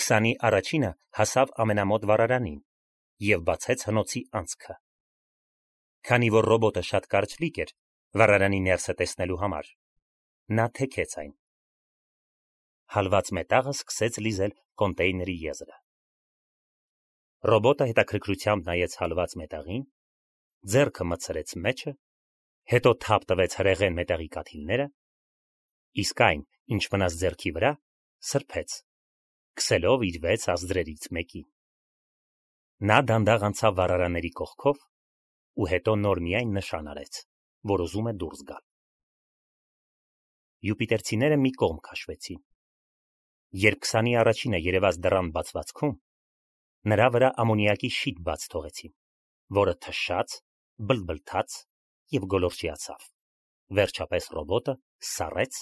20-ի առաջինը հասավ ամենամոտ վառարանին և բացեց հնոցի անցքը։ Քանի որ ռոբոտը շատ կարճլիկ էր վառարանի ներսը տեսնելու համար, նա թեքեց այն։ Հալված մետաղը սկսեց լիզել կոնտեյների եզրը։ Ռոբոտը հետաքրքրությամբ նայեց հալված մետաղին, ձեռքը մտցրեց մեջը, հետո թափ տվեց հրեղեն մետաղի կաթիլները, իսկ այն, ինչ մնաց ձեռքի վրա, սրբեց, քսելով իր 6 ազդրերից մեկին։ Նա դանդաղ անցավ վառարանների կողքով ու հետո նոր միայն նշան արեց, որ ուզում է դուրս գալ։ Յուպիտերցիները մի կողմ քաշվեցին։ Երբ 20-ի առաջինը երևաց դռան բացվածքում, նրա վրա ամոնիակի շիթ բաց թողեցին, որը թշաց, բլթբլթաց և գոլորշիացավ։ Վերջապես ռոբոտը սառեց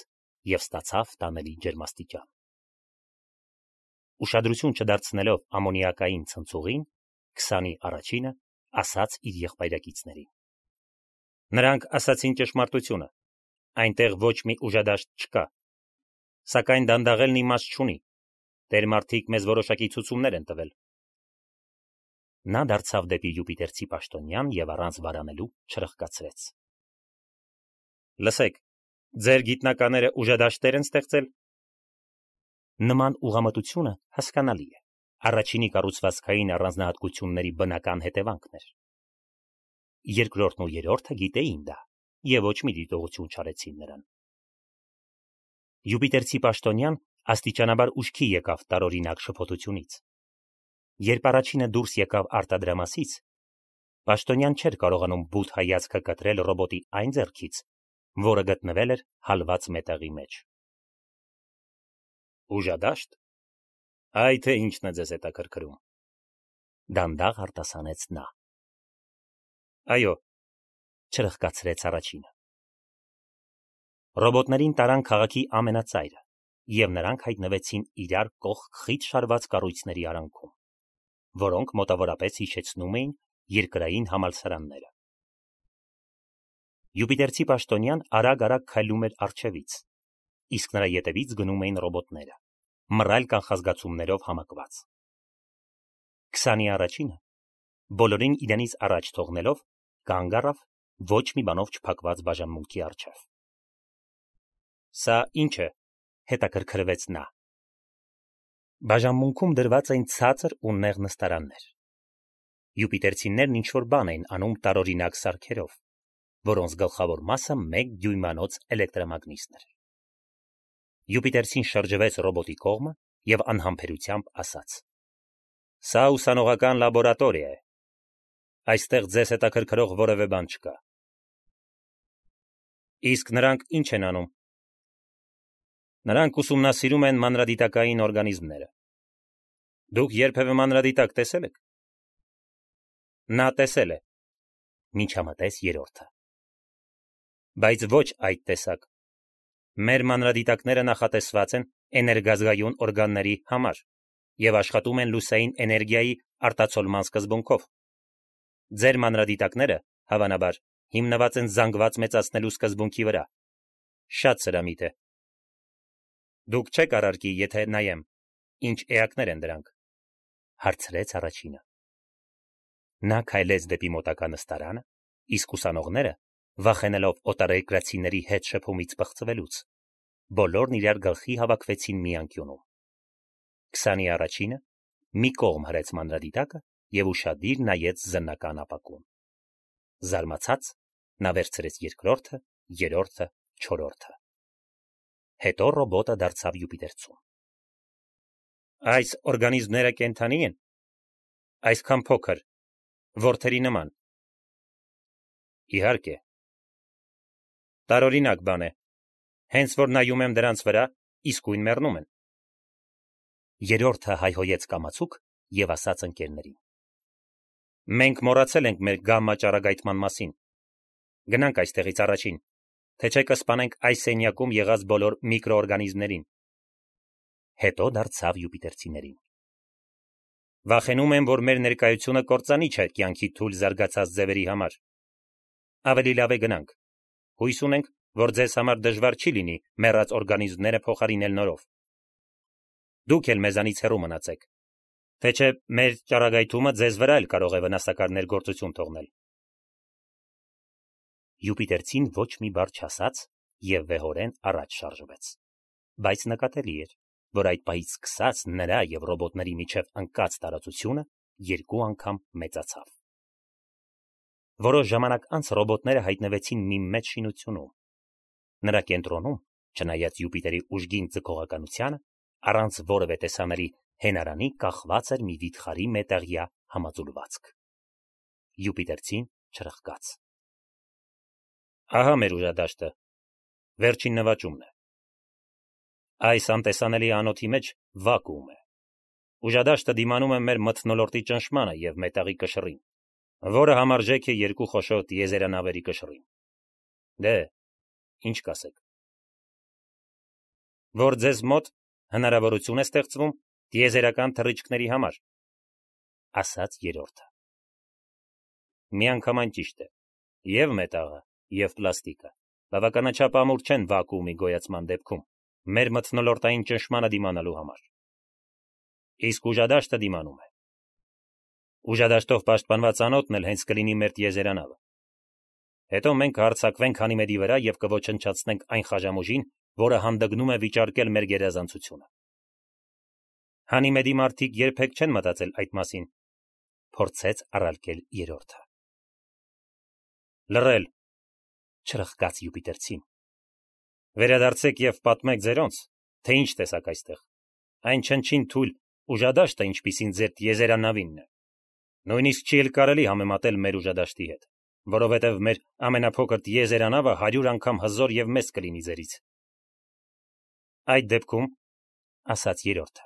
և ստացավ տանելի ջերմաստիճան։ Ուշադրություն չդարձնելով ամոնիակային ցնցուղին, 20-ի առաջինը ասաց իր եղբայրակիցներին. Նրանք ասացին ճշմարտությունը, այնտեղ ոչ մի ուժադաշտ չկա, սակայն դանդաղելն իմաստ չունի, տերմարդիկ մեզ որոշակի ցուցումներ են տվել։ Նա դարձավ դեպի յուպիտերցի պաշտոնյան և առանց վարանելու չրխկացրեց. Լսեք, ձեր գիտնականները ուժադաշտեր են ստեղծել։ Նման ուղղամտությունը հասկանալի է, առաջինի կառուցվածքային առանձնահատկությունների բնական հետևանքն էր։ Երկրորդն ու երրորդը գիտեին դա և ոչ մի դիտողություն չարեցին նրան։ Յուպիտերցի պաշտոնյան աստիճանաբար ուշքի եկավ տարօրինակ շփոթությունից։ Երբ առաջինը դուրս եկավ արտադրամասից, պաշտոնյան չէր կարողանում բութ հայացքը կտրել ռոբոտի այն ձեռքից, որը գտնվել էր հալված մետաղի մեջ։ Ուժադաշտ։ Այ թե ինչն է ձեզ հետաքրքրում։ Դանդաղ արտասանեց նա։ Այո, չրխկացրեց առաջինը։ Ռոբոտներին տարան քաղաքի ամենածայրը, և նրանք հայտնվեցին իրար կողք խիտ շարված կառույցների արանքում, որոնք մոտավորապես հիշեցնում էին երկրային համալսարանները։ Յուպիտերցի պաշտոնյան արագ-արագ քայլում էր առջևից, իսկ նրա ետևից գնում էին ռոբոտները, մռայլ կանխազգացումներով համակված։ 20-ի առաջինը, բոլորին իրենից առաջ թողնելով, կանգ առավ ոչ մի բանով չփակված բաժանմունքի առջև։ Սա ի՞նչ է, հետաքրքրվեց նա։ Բաժանմունքում դրված էին ցածր ու նեղ նստարաններ։ Յուպիտերցիներն ինչ-որ բան էին անում տարօրինակ սարքերով, որոնց գլխավոր մասը 1 դյույմանոց էլեկտրամագնիսն էր։ Յուպիտերցին շրջվեց ռոբոտի կողմը և անհամբերությամբ ասաց. Սա ուսանողական լաբորատորիա է։ Այստեղ ձեզ հետաքրքրող որևէ բան չկա։ Իսկ նրանք ինչ են անում։ Նրանք ուսումնասիրում են մանրադիտակային օրգանիզմները։ Դուք երբևէ մանրադիտակ տեսել եք։ Նա տեսել է, միջամտեց երրորդը։ Բայց ոչ այդ տեսակ։ Մեր մանրադիտակները նախատեսված են էներգազգայուն օրգանների համար և աշխատում են լուսային էներգիայի արտացոլման սկզբունքով։ Ձեր մանրադիտակները, հավանաբար, հիմնված են զանգված մեծացնելու սկզբունքի վրա։ Շատ սրամիտ է։ Դուք չեք առարկի, եթե նայեմ, ինչ էակներ են դրանք, հարցրեց առաջինը։ Նա քայլեց դեպի մոտակա նստարանը, իսկ ուսանողները, վախենալով օտարերկրացիների հետ շփումից պղծվելուց, բոլորն իրար գլխի հավաքվեցին մի անկյունում։ 20-ի առաջինը մի կողմ հրեց մանրադիտակը և ուշադիր նայեց զննական ապակուն։ Զարմացած նա վերցրեց երկրորդը, երրորդը, չորրորդը։ Հետո ռոբոտը դարձավ յուպիտերցուն։ Այս օրգանիզմները կենդանի են։ Այսքան փոքր, որդերի նման։ Իհարկե։ Տարօրինակ բան է։ Հենց որ նայում եմ դրանց վրա, իսկույն մեռնում են։ Երրորդը հայհոյեց կամացուկ և ասաց ընկերներին. Մենք մոռացել ենք մեր գամմա ճառագայթման մասին։ Գնանք այստեղից առաջին, թե չէ կսպանենք այս սենյակում եղած բոլոր միկրոօրգանիզմներին։ Հետո դարձավ յուպիտերցիներին. Վախենում եմ, որ մեր ներկայությունը կործանի չէ կյանքի թույլ զարգացած ձևերի համար։ Ավելի լավ է գնանք։ Հույս ունենք, որ ձեզ համար դժվար չի լինի մեռած օրգանիզմները փոխարինել նորով։ Դուք էլ մեզանից հեռու մնացեք, թե չէ մեր ճառագայթումը ձեզ վրա էլ կարող է վնասակար ներգործություն թողնել։ Յուպիտերցին ոչ մի բառ չասաց եւ վեհորեն առաջ շարժվեց, բայց նկատելի էր, որ այդ պահից սկսած նրա եւ ռոբոտների միջև ընկած տարածությունը երկու անգամ մեծացավ։ Որոշ ժամանակ անց ռոբոտները հայտնվեցին մի մեծ շինությունում։ Նրա կենտրոնում, չնայած Յուպիտերի ուժգին ձգողականությանը, առանց որևէ տեսանելի հենարանի կախված էր մի վիթխարի մետաղյա համաձուլվածք։ Յուպիտերցին չրխկաց։ Ահա մեր ուժադաշտը, վերջին նվաճումն է։ Այս անտեսանելի անոթի մեջ վակուում է։ Ուժադաշտը դիմանում է մեր մթնոլորտի ճնշմանը եւ մետաղի կշռին, որը համարժեք է երկու խոշոր տիեզերանավերի կշռին։ Դե, ինչ կասեք։ Որ ձեզ մոտ հնարավորություն է ստեղծվում տիեզերական թռիչքների համար, ասաց երրորդը։ Միանգամայն ճիշտ է։ Եվ մետաղը, եւ պլաստիկը բավականաչափ ամուր չեն վակուումի գոյացման դեպքում մեր մթնոլորտային ճնշմանը դիմանալու համար։ Իսկ ուժադաշտը դիմանում է։ Ուժադաշտով պաշտպանված անոթն էլ հենց կլինի մեր տիեզերանավը։ Հետո մենք կհարձակվենք Հանիմեդի վրա եւ կոչնչացնենք այն խաժամուժին, որը հանդգնում է վիճարկել մեր գերազանցությունը։ Հանիմեդի մարդիկ երբեք չեն մտածել այդ մասին, փորձեց առարկել երրորդը։ Լռել, չրխկաց Յուպիտերցին։ Վերադարձեք եւ պատմեք ձերոնց, թե ինչ տեսակ այստեղ։ Այն չնչին թույլ ուժադաշտը, ինչպիսին ձեր տիեզերանավինն է։ Նույնիսկ չի էլ կարելի համեմատել մեր ուժադաշտի հետ, որովհետև մեր ամենափոքր տիեզերանավը 100 անգամ հզոր եւ մեծ կլինի ձերից։ Այդ դեպքում, ասաց երրորդը,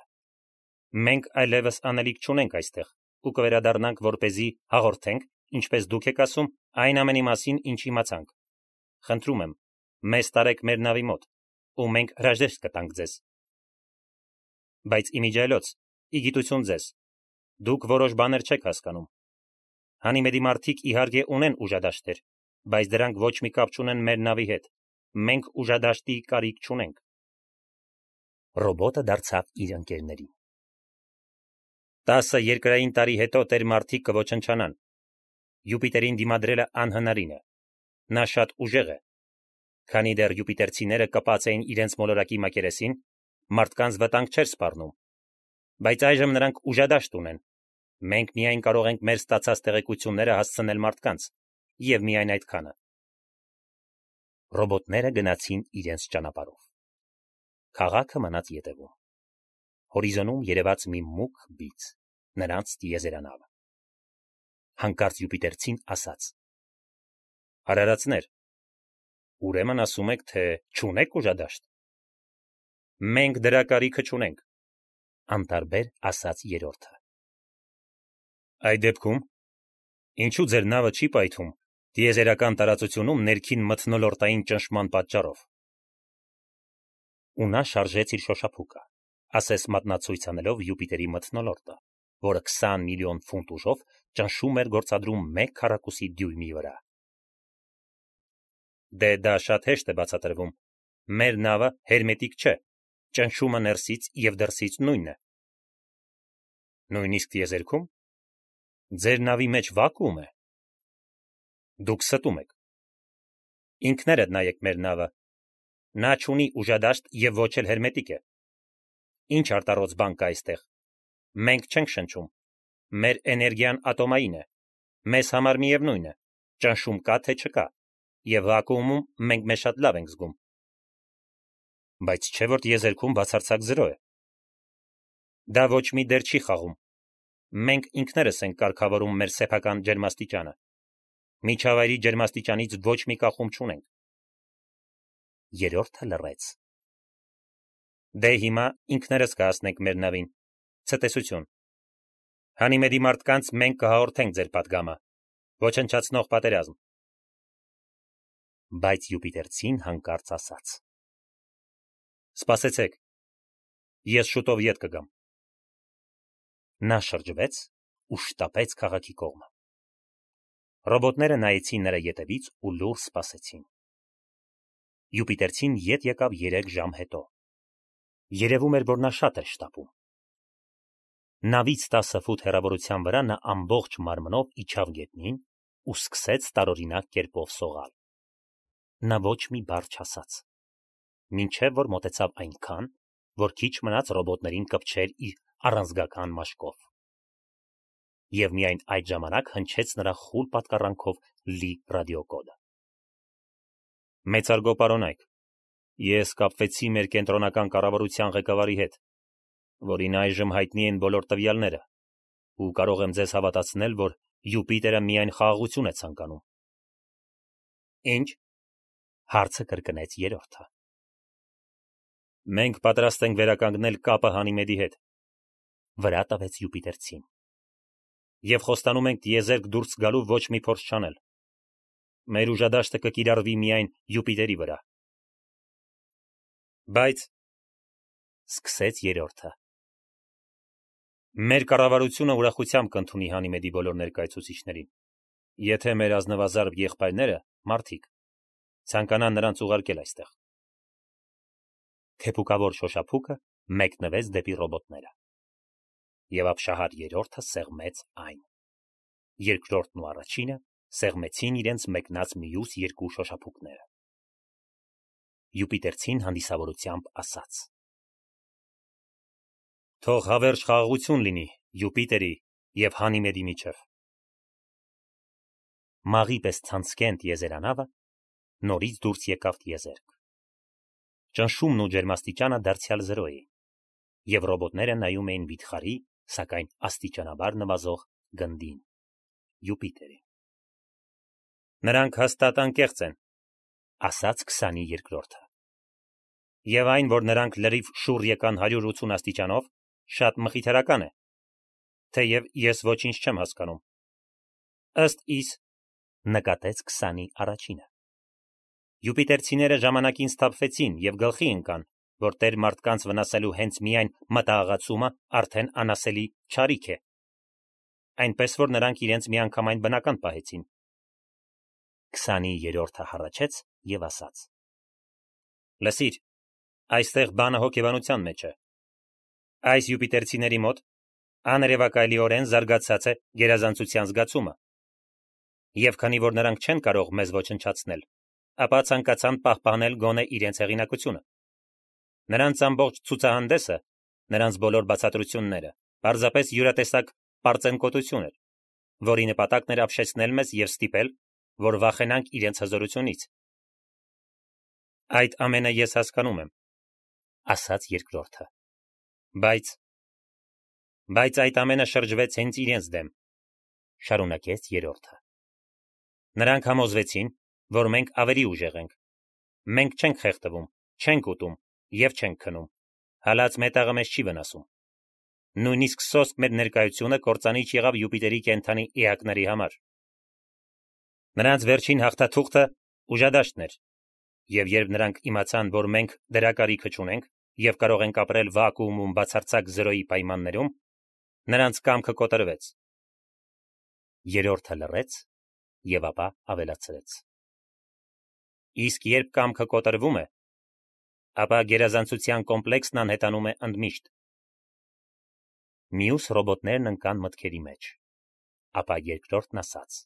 մենք այլևս անելիք չունենք այստեղ ու կվերադառնանք, որպեսզի հաղորդենք, ինչպես դուք եք ասում, այն ամենի մասին, ինչ իմացանք։ Խնդրում եմ, մեզ տարեք մեր նավի մոտ, ու մենք հրաժեշտ կտանք ձեզ։ Բայց իմիջիայլոց, իգիտություն ձեզ, դուք որոշ բաներ չեք հասկանում։ Հանիմեդի մարդիկ իհարկե ունեն ուժադաշտեր, բայց դրանք ոչ մի կապ չունեն մեր նավի հետ։ Մենք ուժադաշտի կարիք չունենք։ Ռոբոտը դարձավ իր ընկերներին։ 10 երկրային տարի հետո տեր մարդիկ կոչնչանան։ Յուպիտերին դիմադրելը անհնարին է։ Նա շատ ուժեղ է։ Քանի դեռ յուպիտերցիները կպած էին իրենց մոլորակի մակերեսին, մարդկանց վտանգ չէր սպառնում։ Բայց այժմ նրանք ուժադաշտ ունեն։ Մենք միայն կարող ենք մեր ստացած տեղեկությունները հասցնել մարդկանց, եւ միայն այդքանը։ Ռոբոտները գնացին իրենց ճանապարհով։ Քաղաքը մնաց ետևում։ Հորիզոնում երևաց մի մուգ բիծ, նրանց տիեզերանավը։ Հանկարծ Յուպիտերցին ասաց. Արարածներ, ուրեմն ասում եք, թե չունեք ուժադաշտ։ Մենք դրա կարիքը չունենք, անտարբեր ասաց երրորդը։ Այդ դեպքում, ինչու ձեր նավը չի պայթում տիեզերական տարածությունում ներքին մթնոլորտային ճնշման պատճառով։ Ու նա շարժեց իր շոշափուկը, ասես մատնացույց անելով Յուպիտերի մթնոլորտը, որը 20 միլիոն ֆունտ ուժով ճնշում էր գործադրում 1 քառակուսի դյույմի վրա։ Դե դա շատ հեշտ է բացատրվում։ Մեր նավը հերմետիկ չէ, ճնշումը ներսից եւ դրսից նույնն է։ Նույնիսկ տիեզերքում ձեր նավի մեջ վակուում է։ Դուք ստում եք։ Ինքներդ նայեք մեր նավը։ Նա չունի ուժադաշտ եւ ոչ էլ հերմետիկ է։ Ինչ արտառոց բան կա այստեղ։ Մենք չենք շնչում։ Մեր էներգիան ատոմային է։ Մեզ համար միևնույն է, ճնշում կա թե չկա, եւ վակուումում մենք մեզ շատ լավ ենք զգում։ Բայց չէ՞ որ տիեզերքում բացարձակ զրո է։ Դա ոչ մի դեր չի խաղում։ Մենք ինքներս ենք կարգավորում մեր սեփական ջերմաստիճանը։ Միջավայրի ջերմաստիճանից ոչ մի կախում չունենք։ Երրորդը լռեց։ Դե հիմա ինքներս կհասնենք մեր նավին։ Ցտեսություն։ Հանիմեդի մարդկանց մենք կհաղորդենք ձեր պատգամը։ Ոչնչացնող պատերազմ։ Բայց Յուպիտերցին հանկարծ ասաց. Սպասեցեք։ Ես շուտով ետ կգամ։ Նա շրջվեց ու շտապեց քաղաքի կողմը։ Ռոբոտները նայեցին նրա ետևից ու լուռ սպասեցին։ Յուպիտերցին ետ եկավ 3 ժամ հետո։ Երևում էր, որ նա շատ էր շտապում։ Նավից 10 ֆուտ հեռավորության վրա նա ամբողջ մարմնով իջավ գետնին ու սկսեց տարօրինակ կերպով սողալ։ Նա ոչ մի բառ չասաց, մինչև որ մոտեցավ այնքան, որ քիչ մնաց ռոբոտներին կպչեր իր առանձգական մաշկով։ Եվ միայն այդ ժամանակ հնչեց նրա խուլ պատկառանքով լի ռադիոկոդը։ Մեծարգո պարոնայք, ես կապվեցի մեր կենտրոնական կառավարության ղեկավարի հետ, որին այժմ հայտնի են բոլոր տվյալները, ու կարող եմ ձեզ հավատացնել, որ Յուպիտերը միայն խաղաղություն է ցանկանում։ Ինչ? Հարցը կրկնեց երրորդը։ Մենք պատրաստ ենք վերականգնել կապը Հանիմեդի հետ, վրա տվեց Յուպիտերցին։ Եվ խոստանում ենք տիեզերք դուրս գալու ոչ մի փորձ չանել։ Մեր ուժադաշտը կկիրառվի միայն Յուպիտերի վրա։ Բայց սկսեց երրորդը։ Մեր կառավարությունը ուրախությամբ կընդունի Հանիմեդի բոլոր ներկայացուցիչներին, եթե մեր ազնվազարդ եղբայրները, մարդիկ, ցանկանան նրանց ուղարկել այստեղ։ Թեփուկավոր շոշափուկը մեկնվեց դեպի ռոբոտները։ Եվ ապշահար երրորդը սեղմեց այն։ Երկրորդն ու առաջինը սեղմեցին իրենց մեկնած մյուս երկու շոշափուկները։ Յուպիտերցին հանդիսավորությամբ ասաց. Թող հավերժ խաղաղություն լինի Յուպիտերի և Հանիմեդի միջև։ Մաղի պես ցանցկեն տիեզերանավը նորից դուրս եկավ տիեզերք։ Ճնշումն ու ջերմաստիճանը դարձյալ 0 էին, և ռոբոտները նայում էին վիթխարի, սակայն աստիճանաբար նվազող գնդին՝ Յուպիտերին։ Նրանք հաստատ անկեղծ են, ասաց 22-րդը։ Եվ այն, որ նրանք լրիվ շուռ եկան 180 աստիճանով, շատ մխիթարական է, թեև ես ոչինչ չեմ հասկանում։ Ըստ իս, նկատեց 21-ը։ Յուպիտերցիները ժամանակին սթափվեցին և գլխի ընկան, որ տեր մարդկանց վնասելու հենց միայն մտահղացումը արդեն անասելի չարիք է, այնպես որ նրանք իրենց միանգամայն բնական պահեցին։ 23-րդը հառաչեց և ասաց. Լսիր, այստեղ բանը հոգեբանության մեջ է։ Այս յուպիտերցիների մոտ աներևակայելիորեն զարգացած է գերազանցության զգացումը։ Եվ քանի որ նրանք չեն կարող մեզ ոչնչացնել, ապա ցանկացան պահպանել գոնե իրենց հեղինակությունը։ Նրանց ամբողջ ցուցահանդեսը, նրանց բոլոր բացատրությունները պարզապես յուրատեսակ պարծենկոտություն էր, որի նպատակն էր ապշեցնել մեզ և ստիպել, որ վախենանք իրենց հզորությունից։ Այդ ամենը ես հասկանում եմ, ասաց երկրորդը։ Բայց այդ ամենը շրջվեց հենց իրենց դեմ, շարունակեց երրորդը։ Նրանք համոզվեցին, որ մենք ավելի ուժեղ ենք։ Մենք չենք խեղդվում, չենք ուտում և չենք քնում։ Հալած մետաղը մեզ չի վնասում։ Նույնիսկ սոսկ մեր ներկայությունը կործանիչ եղավ Յուպիտերի կենդանի էակների համար։ Նրանց վերջին հաղթաթուղթը ուժադաշտն էր, և երբ նրանք իմացան, որ մենք դրա կարիքը չունենք և կարող ենք ապրել վակուումում բացարձակ 0-ի պայմաններում, նրանց կամքը կոտրվեց։ Երրորդը լռեց և ապա ավելացրեց. Իսկ երբ կամքը կոտրվում է, ապա գերազանցության կոմպլեքսն անհետանում է ընդմիշտ։ Մյուս ռոբոտներն ընկան մտքերի մեջ, ապա երկրորդն ասաց.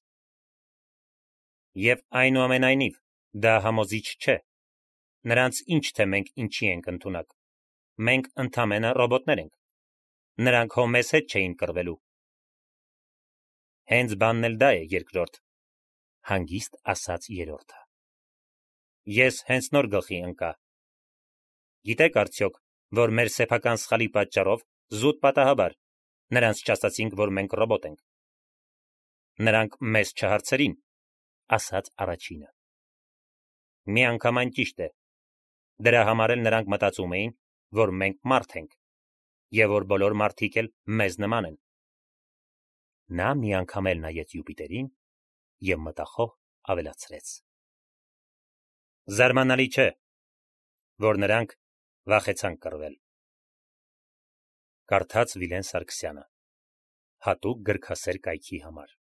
Եվ այնուամենայնիվ, դա համոզիչ չէ։ Նրանց ինչ թե մենք ինչի ենք ընդունակ։ Մենք ընդամենը ռոբոտներ ենք։ Նրանք հո մեզ հետ չէին կռվելու։ Հենց բանն էլ դա է, երկրորդ, հանգիստ ասաց երրորդը։ Ես հենց նոր գլխի ընկա։ Գիտեք արդյոք, որ մեր սեփական սխալի պատճառով զուտ պատահաբար նրանց չասացինք, որ մենք ռոբոտ ենք։ Նրանք մեզ չհարցրին, ասաց առաջինը։ Միանգամայն ճիշտ է։ Դրա համար էլ նրանք մտածում էին, որ մենք մարդ ենք, և որ բոլոր մարդիկ էլ մեզ նման են։ Նա մի անգամ էլ նայեց Յուպիտերին և մտախոհ ավելացրեց. Զարմանալի չէ, որ նրանք վախեցան կռվել։ Կարդաց Վիլեն Սարգսյանը, հատուկ գրքասեր կայքի համար։